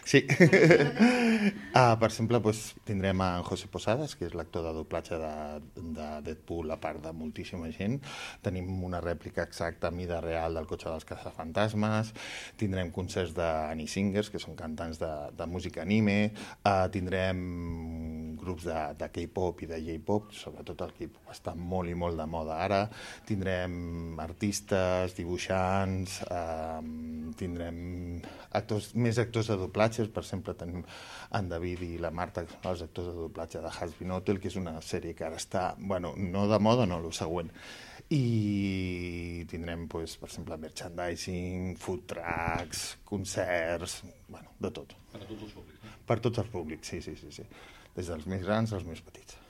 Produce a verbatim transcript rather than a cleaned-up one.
Sí. Uh, per exemple, doncs, tindrem en José Posadas, que és l'actor de doblatge de, de Deadpool, a part de moltíssima gent. Tenim una rèplica exacta a mida real del cotxe dels caçafantasmes. Tindrem concerts d'Annie Singers, que són cantants de, de música anime. Uh, tindrem grups de, de K-pop i de J-pop, sobretot el K-pop està molt i molt de moda ara. Tindrem artistes, dibuixants, uh, tindrem actors, més actors de doblatges. Per exemple, tenim en David i la Marta, que són els actors de doblatge de Hazbin Hotel, que és una sèrie que ara està, bueno, no de moda, no, el següent. I tindrem, pues, per exemple, merchandising, food trucks, concerts, bueno, de tot. Per a tots els públics. Per tots els públics, sí, sí, sí, sí. Des dels més grans als més petits.